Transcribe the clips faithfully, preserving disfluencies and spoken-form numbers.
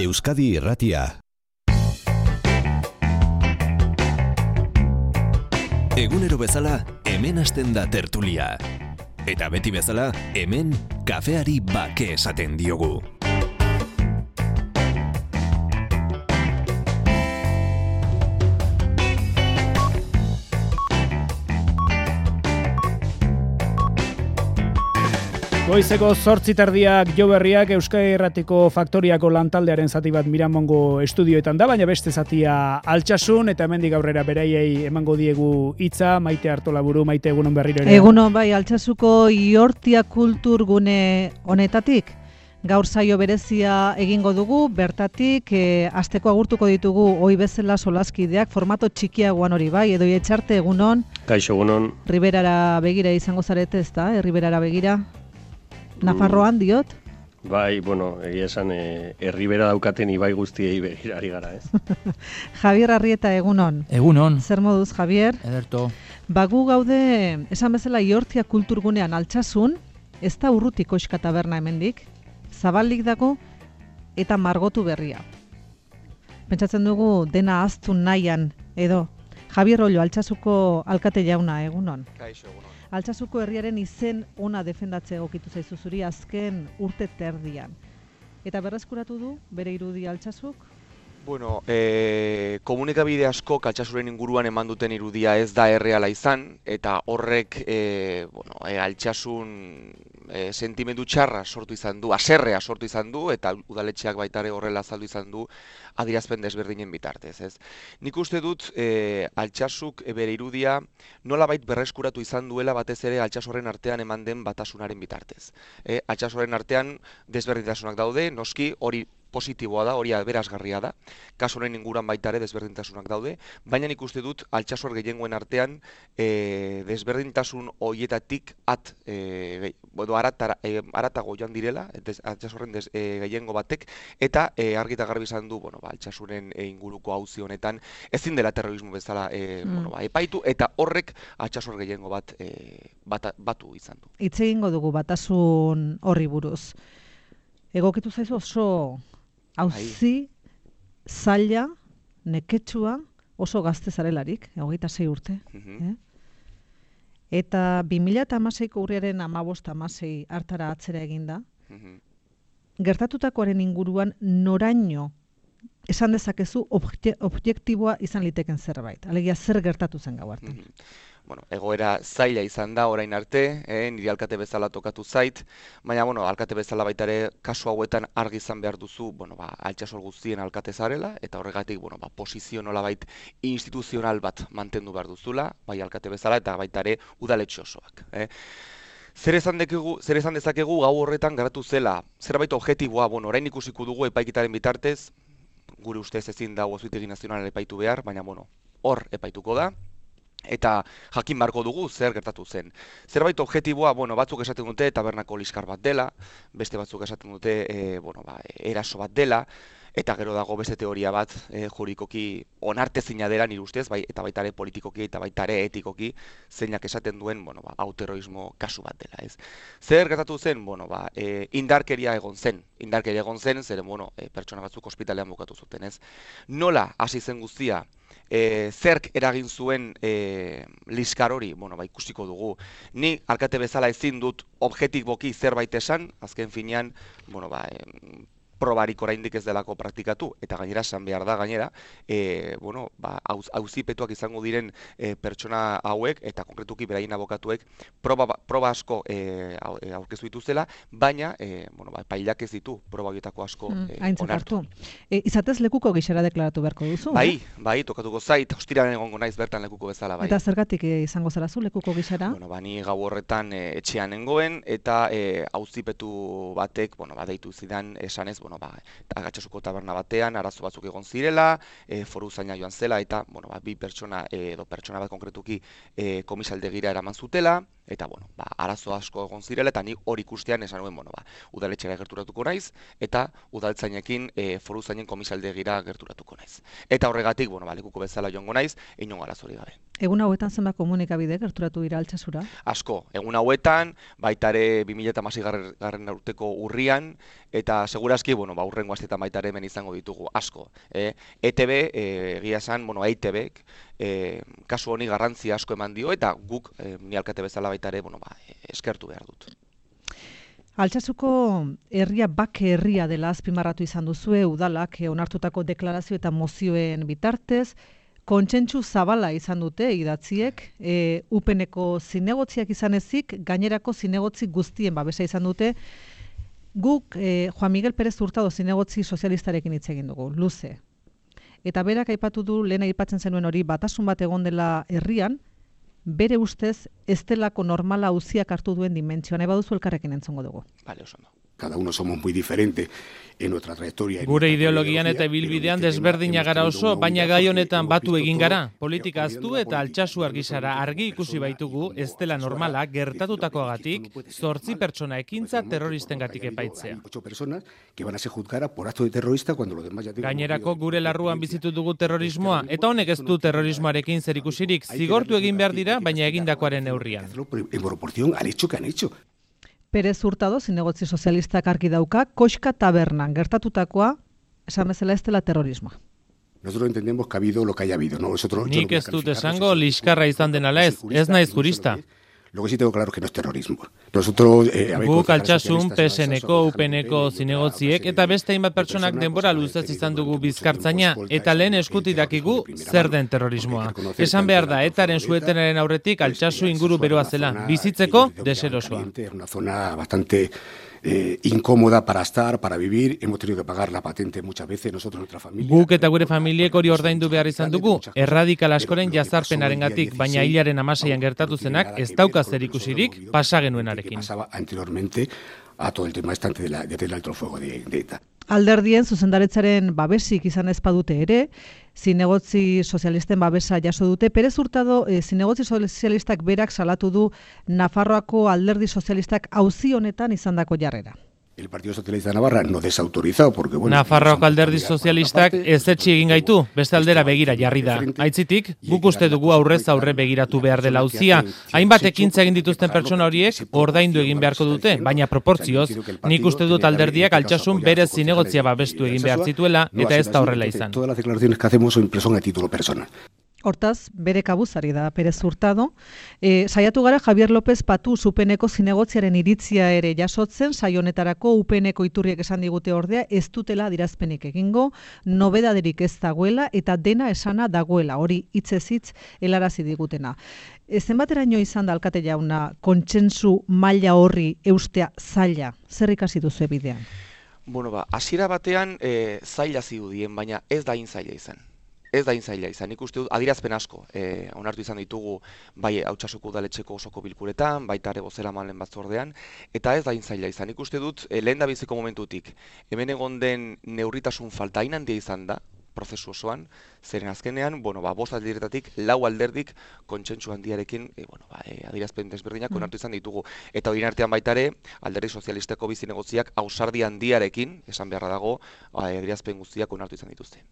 Euskadi Irratia. Egunero bezala, hemen hasten da tertulia. Eta beti bezala, hemen kafeari bake esaten diogu. Goizeko zortzi terdiak jo berriak Euskadi Irratiko Faktoriako lantaldearen zati bat Miramongo estudioetan da, baina beste zatia Altsasun, eta hemendik aurrera beraiei emango diegu hitza. Maite Artolaburu, Maite, egunon berriro ere. Egunon, bai, Altsasuko Iortia kulturgune honetatik gaur saio berezia egingo dugu, bertatik e, asteko agurtuko ditugu ohi bezala solaskideak, formato txikiagoan hori bai, edo etxarte egunon. Kaixo egunon. Riberara begira izango zarete, ezta? Eh, Riberara begira. Nafarroan diot? Bai, bueno, egia esan, e, erribera daukaten ibai guztiei begirari gara, ez? Javier Arrieta, egunon. Egunon. Zer moduz, Javier? Ederto. Bagu gaude, esan bezala Iortia kulturgunean Altsasun, ez da urruti koxka taberna hemendik, zabalik dago eta margotu berria. Pentsatzen dugu dena ahaztu nahian, edo. Javier Ollo, Altsasuko alkate jauna, egunon. Kaixo, egunon. Altsasuko herriaren izen ona defendatze egokitu zaizu zuri azken urte terdian. Eta berreskuratu du bere irudi Altsasuk? Bueno, e, komunikabide asko Altsasuren inguruan eman duten irudia ez da erreala izan, eta horrek e, bueno, e, Altsasun e, sentimendu txarra sortu izan du, haserrea sortu izan du, eta udaletxeak baitare horrela azaldu izan du adierazpen desberdinen bitartez, ez. Nik uste dut e, Altsasuk e, bere irudia nolabait berreskuratu izan duela batez ere Altsasurren artean eman den batasunaren bitartez. E, Altsasurren artean desberdintasunak daude, noski hori positiboa da, hori aberasgarria da, kasu honen inguruan baita ere desberdintasunak daude, baina nik uste dut Altsasur gehiengoen artean e, desberdintasun horietatik at, e, bueno, aratara, e, aratago joan direla, Altsasurren des, e, gehiengo batek, eta e, argi eta garbi izan du, bueno, ba, Altsasuren e, inguruko auzi honetan ezin dela terrorismo bezala e, mm. bueno, ba, epaitu, eta horrek Altsasur gehiengo bat e, bata, batu izan du. Hitz egingo dugu batasun horri buruz. Egokitu zaizu oso auzi, zaila, neketsua, oso gazte zarelarik, hogeita sei urte. Mm-hmm. eh? Eta bi mila hamaseiko urriaren hamabost hamasei hartara atzera eginda. Mm-hmm. Gertatutakoaren inguruan noraino esan dezakezu obje, objektiboa izan liteken zerbait. Alegia zer gertatu zen gau hartan. Mm-hmm. Bueno, egoera zaila izan da orain arte, eh, niri alkate bezala tokatu zait, baina bueno, alkate bezala baita ere kasu hauetan argi izan behar duzu, bueno, ba, Altsasur guztien alkate zarela, eta horregatik, bueno, ba, posizio nolabait instituzional bat mantendu behar duzula, bai alkate bezala eta baita ere udaletxe osoak. Eh. Zer esan, dekegu, zer esan dezakegu gau horretan garatu zela, zerbait objektiboa, bueno, orain ikusiko dugu epaiketaren bitartez, gure ustez ezin dago Auzitegi Nazionala epaitu behar, baina bueno, hor epaituko da. Eta jakin beharko dugu zer gertatu zen. Zerbait objektiboa, bueno, batzuk esaten dute tabernako liskar bat dela, beste batzuk esaten dute e, bueno, ba, eraso bat dela, eta gero dago beste teoria bat e, juridikoki onartezina dela nire ustez, bai, eta baita ere politikoki eta baita ere etikoki zeinak esaten duen, bueno, ba, hau terrorismo kasu bat dela, ez. Zer gertatu zen, bueno, ba, e, indarkeria egon zen, indarkeria egon zen, zeren, bueno, e, pertsona batzuk ospitalean bukatu zuten, ez. Nola hasi zen guztia? E, zerk eragin zuen e, liskar hori, bueno, ba, ikusiko dugu. Ni alkate bezala ezin dut objektiboki zerbait esan, azken finean, bueno, ba, e, probarik oraindik ez delako praktikatu, eta gainera esan behar da gainera, e, bueno, ba, auzipetuak izango diren e, pertsona hauek, eta konkretuki beraien abokatuek, proba, proba asko e, aurkeztu dituzela, baina, e, bueno, ba, epailak ez ditu proba horietako asko mm, e, onartu. E, izatez lekuko gixera deklaratu beharko duzu? Bai, eh? bai, tokatuko zait, ostiraren egongo naiz bertan lekuko bezala, bai. Eta zergatik e, izango zara zu lekuko gixera? Bueno, ba, ni gau horretan e, etxean nengoen, eta e, auzipetu batek, bueno, ba, deitu zidan esanez, bueno, ba, Altsasuko taberna batean arazo batzuk egon zirela, e, foru zaina joan zela, eta bueno, ba, bi pertsona e, edo pertsona bat konkretuki e, komisaldegira eraman zutela, eta bueno, ba, arazo asko egon zirela, eta ni hori ikustean esan nuen, bueno, ba, udaletxera gerturatuko naiz, eta udaltzainekin e, foruzainen komisaldegira gerturatuko naiz. Eta horregatik, bueno, ba, lekuko bezala joango naiz, inongo arazorik gabe. Egun hauetan zenbat komunikabide gerturatu dira Altsasura? Asko, egun hauetan, baita ere bi mila hamasei garren urteko urrian, eta segurazki, bueno, ba, urrengo astetan baita ere hemen izango ditugu, asko. E, E T B, e, egia esan, bueno, E I T Bek, e, kasu honi garrantzia asko eman dio, eta guk, e, ni alkate bezala baita ere, bueno, ba, eskertu behar dut. Altsasuko herria bake herria dela azpimarratu izan duzue, udalak onartutako deklarazio eta mozioen bitartez, kontsentsu zabala izan dute idatziek, e, upeneko zinegotziak izan ezik, gainerako zinegotzi guztien babesa izan dute. Guk e, Juan Miguel Pérez Hurtado zinegotzi sozialistarekin hitz egin dugu, luze. Eta berak aipatu du, lehen aipatzen zenuen hori, batasun bat egon dela herrian, bere ustez ez delako normala auziak hartu duen dimentsioa. Nahi baduzu elkarrekin entzungo dugu. Bale, oso ondo. Cada uno somos muy diferente en nuestra trayectoria. Gure ideologian eta ibilbidean desberdina gara oso, baina gai honetan batu egin gara. Politika aztu eta Altsasu argisara argi ikusi baitugu, ez dela normala gertatutakoagatik, zortzi pertsona ekintza terroristengatik epaitzea. Gainerako gure larruan bizitu dugu terrorismoa, eta honek ez du terrorismoarekin zerikusirik, zigortu egin behar dira, baina egindakoaren neurrian. En proporción al hecho que han hecho. Pérez Hurtado, zinegotzi sozialistak argi dauka, Koxka tabernan gertatutakoa, esan bezala ez dela terrorismoa. Nosotros entendemos que ha habido lo que haya habido, ¿no? Nosotros, Nik ez dut esango liskarra izan den ala ez, ez naiz jurista. Lo que sí tengo claro es que no es terrorismo. Nosotros, eh, Guk Altsasun, P S N-ko, U P N-ko zinegotziek eta beste hainbat pertsonak denbora luzez izan dugu bizkartzaina eta lehen eskutik dakigu zer den terrorismoa. Esan behar da, etaren suetenaren aurretik Altsasu inguru beroa zela, bizitzeko deserosoa. Una zona bastante Eh, incómoda para estar, para vivir. Hemos tenido que pagar la patente muchas veces nosotros, nuestra familia. Guk eta gure familiek hori ordaindu behar izan dugu, erradikal askoren jazarpenarengatik, baina hilaren hamaseian gertatu zenak ez dauka zerikusirik pasa genuenarekin. Pasaba anteriormente a todo el tema estante de la, del alto fuego de, de ETA. Alderdien zuzendaretzaren babesik izan ez badute ere, zinegotzi sozialisten babesa jaso dute. Pérez Hurtado, e, zinegotzi sozialistak berak salatu du Nafarroako alderdi sozialistak auzi honetan izandako jarrera. El Partido Socialista de Navarra no desautorizado porque bueno, Nafarroako alderdi sozialistak ezetsi egin gaitu, beste aldera begira jarri da. Aitzitik, guk uste dugu aurrez aurre begiratu behar dela auzia. Hainbat ekintza egin dituzten pertsona horiek ordaindu egin beharko dute, baina proportzioz, nik uste dut alderdiak Altsasun bere zinegotzia babestu egin behar zituela eta ez da horrela izan. Todas las declaraciones que hacemos son son a título personal. Hortaz, bere kabuzari da Pérez Hurtado. E, saiatu gara Javier López Patu U P N-ko zinegotziaren iritzia ere jasotzen, saio honetarako U P N-ko iturriek esan digute ordea, ez dutela adierazpenik egingo, nobedaderik ez dagoela eta dena esana dagoela, hori hitzez hitz helarazi digutena. E, zenbateraino izan da alkate jauna kontsentsu maila horri eustea zaila, zer ikasi duzu bidean? Bueno, ba, hasiera batean e, zaila zirudien, baina ez da hain zaila izan. Ez da zaila izan, nik uste dut adierazpen asko e, onartu izan ditugu bai Altsasuko udaletxeko osoko bilkuretan, baita ere bozeramaleen batzordean, eta ez da zaila izan, nik uste dut e, lehen da biziko momentutik, hemen egon den neurritasun falta hain handia izan da, prozesu osoan, zeren azkenean, bueno, ba, bost alderetatik, lau alderdik kontsentsu handiarekin, e, bueno, ba, e, adierazpen desberdinak onartu izan ditugu. Eta hori artean baita ere, alderdi sozialisteko bizinegotziak ausardi handiarekin, esan beharra dago, adierazpen guztiak onartu izan dituzte.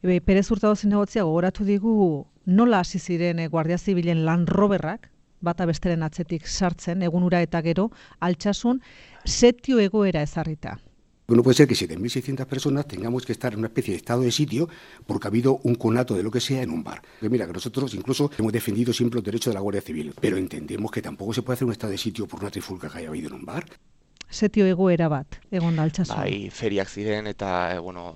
E, Pérez Hurtado zinegotzia gogoratu digu nola hasi ziren e, Guardia Zibilen Land Roverrak, bata besteren atzetik sartzen, egunura eta gero, Altsasun, setio egoera ezarrita. No puede ser que siete mil seiscientas personas tengamos que estar en una especie de estado de sitio porque ha habido un conato de lo que sea en un bar. Que mira, que nosotros incluso hemos defendido siempre los derechos de la Guardia Civil, pero entendemos que tampoco se puede hacer un estado de sitio por una trifulca que haya habido en un bar. Setio egoera bat, egon da Altsasun. Bai, feriak ziren eta, e, bueno,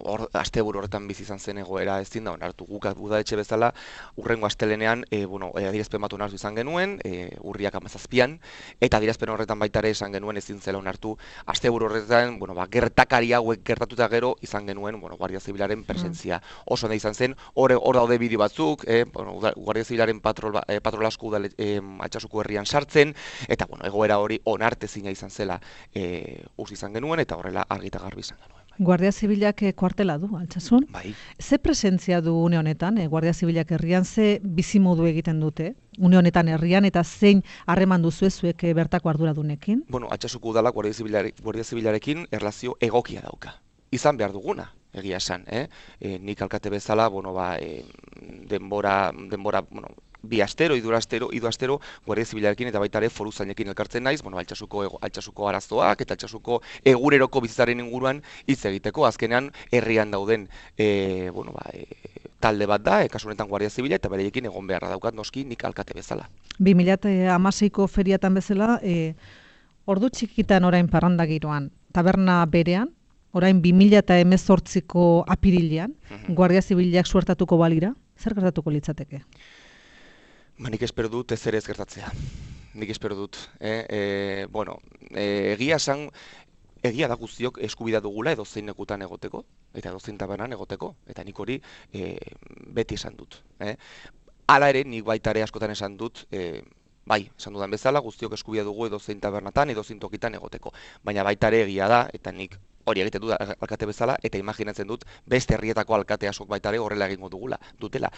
or, asteburu horretan bizi izan zen egoera ez da onartu. Guk udaletxe bezala, urrengo astelenean, e, bueno, adierazpen bat onartu izan genuen, e, urriak hamazazpian, eta adierazpen horretan baita ere esan genuen ezin zela onartu. Asteburu horretan, bueno, ba, gertakari hauek gertatuta gero izan genuen, bueno, Guardia Zibilaren presentzia. Mm. Oso nahi izan zen, hor daude bideo batzuk, e, bueno, Guardia Zibilaren patrol, e, patrol asko udale, e, Altsasuko herrian sartzen, eta, bueno, egoera hori onartezina izan zela. E, uz izan genuen eta horrela argi eta garbi izan genuen. Guardia Zibilak eh, kuartela du, Altsasun. Bai. Ze presentzia du une honetan, eh, Guardia Zibilak herrian, ze bizimodu egiten dute? Une honetan herrian eta zein harreman duzu zuek eh, bertako arduradunekin? Bueno, Altsasuko udalak Guardia Zibilare, Guardia Zibilarekin erlazio egokia dauka. Izan behar duguna, egia esan, eh? E, nik alkate bezala, bueno, ba, e, denbora, denbora, bueno, bi astero, hiru astero, hiru astero Guardia Zibilarekin eta baita ere foruzainekin elkartzen naiz, bueno, Altsasuko ego, Altsasuko arazoak eta Altsasuko eguneroko bizitzaren inguruan hitz egiteko. Azkenean herrian dauden e, bueno, ba, e, talde bat da, e, kasu honetan Guardia Zibila eta bereiekin egon beharra daukat noski nik alkate bezala. bi mila hamaseiko feriatan bezala, e, ordu txikitan orain parranda giroan, taberna berean, orain bi mila hemezortziko apirilean, Mhm. Guardia Zibilak suertatuko balira, zer gertatuko litzateke? Ba, nik espero dut ez ere ez gertatzea. Nik espero dut. Eh? E, bueno, e, egia esan, egia da guztiok eskubidea dugula edo zein lekutan egoteko, eta edo zein tabernan egoteko, eta nik hori e, beti esan dut. Eh? Hala ere, nik baita ere askotan esan dut, e, bai, esan dudan bezala, guztiok eskubidea dugu edo zein tabernatan, edo zein tokitan egoteko. Baina baita ere egia da, eta nik hori egiten dut alkate bezala, eta imaginatzen dut beste herrietako alkate askok baita ere horrela egingo dugula, dutela.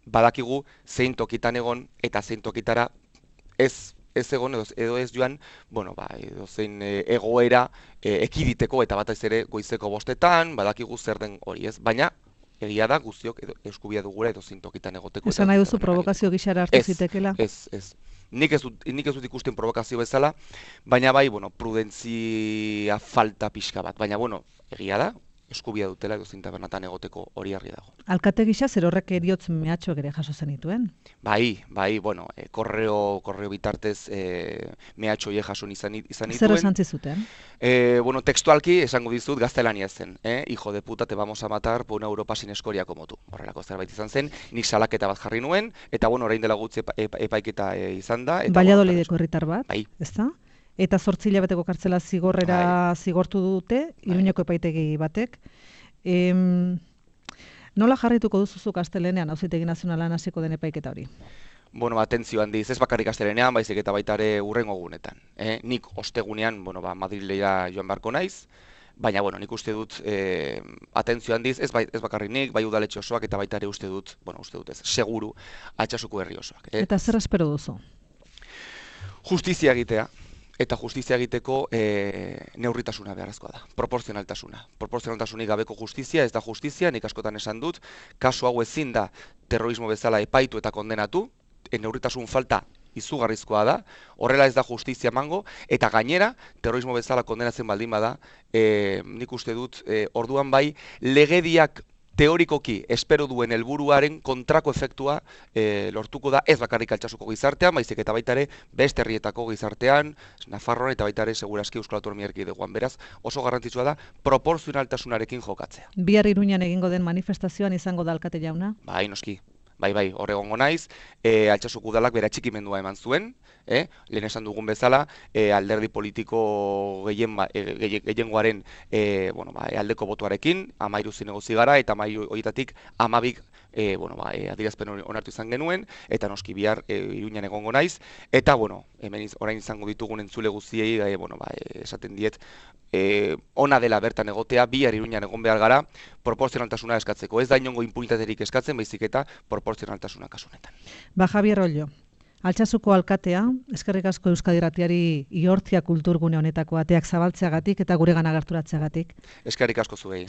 Badakigu zein tokitan egon eta zein tokitara ez ez egon edo, edo ez joan, bueno, ba, edo zein e, egoera e, ekiditeko eta batez ere goizeko bostetan, badakigu zer den hori ez, baina egia da guztiok edo eskubia dugula edo zein tokitan egoteko. Esan nahi duzu provokazio gixara hartu zitekela? Ez, ez. Nik ez dut, nik ez dut ikusten provokazio bezala, baina bai, bueno, prudentzia falta pixka bat, baina bueno, egia da, eskubia dutela edo zein tabernatan egoteko hori argi dago. Alkate gisa zer horrek eriotz mehatxoak ere jaso zenituen? Bai, bai, bueno, e, korreo, korreo bitartez e, mehatxo hie jaso izan, izan Zer nituen. esan zizuten? E, bueno, textualki esango dizut gaztelania zen, eh? Hijo de puta, te vamos a matar por una Europa sin escoria como tú. Horrelako zerbait izan zen, nik salaketa bat jarri nuen, eta bueno, orain dela gutxi epa, epa, epaiketa e, izan da. Eta, Valladolideko herritar bat, bai. ezta? Eta zortzi hilabeteko kartzela zigorrera zigortu dute, Iruñeko epaitegi batek. Em, nola jarrituko duzuzuk astelenean Auzitegi Nazionalan hasiko den epaiketa hori? Bueno, atentzio handiz, ez bakarrik astelenean, baizik eta baita ere hurrengo egunetan. Eh? Nik ostegunean, bueno, ba, Madrilera joan beharko naiz, baina, bueno, nik uste dut eh, atentzio handiz, ez, bai, ez bakarrik nik, bai udaletxe osoak eta baita ere uste dut, bueno, uste dut ez, seguru, Altsasuko herri osoak. Eh? Eta zer espero duzu? Justizia egitea. Eta justizia egiteko e, neurritasuna beharrezkoa da, proporzionaltasuna. Proporzionaltasunik gabeko justizia ez da justizia, nik askotan esan dut, kasu hau ezin da terrorismo bezala epaitu eta kondenatu, e, neurritasun falta izugarrizkoa da, horrela ez da justizia emango, eta gainera, terrorismo bezala kondenatzen baldin bada, e, nik uste dut, e, orduan bai, legediak teorikoki espero duen helburuaren kontrako efektua e, lortuko da ez bakarrik Altsasuko gizartean, baizik eta baita ere beste herrietako gizartean, Nafarroan eta baita ere segurazki Euskal Autonomia Erkidegoan. Beraz, oso garrantzitsua da proporzionaltasunarekin jokatzea. Bihar Iruñan egingo den manifestazioan izango da alkate jauna? Bai, noski. Bai, bai, hor egongo naiz, e, Altsasuko udalak bere atxikimendua eman zuen, eh? Lehen esan dugun bezala, e, alderdi politiko gehien, e, gehiengoaren e, bueno, ba, e, aldeko botuarekin, amairu zinegozi gara, eta amairu horietatik amabik e, bueno, ba, e, adierazpen onartu izan genuen, eta noski bihar e, Iruñan egongo naiz, eta bueno, hemen iz, orain izango ditugun entzule guztiei, e, bueno, ba, e, esaten diet, e, ona dela bertan egotea, bihar Iruñan egon behar gara, proporzionaltasuna eskatzeko. Ez da inongo impunitaterik eskatzen, baizik eta proporzionaltasuna kasu honetan. Ba, Javier Ollo, Altsasuko alkatea, eskerrik asko Euskadi Irratiari Ihortzia kulturgune honetako ateak zabaltzeagatik eta guregana gerturatzeagatik. Eskerrik asko zuei.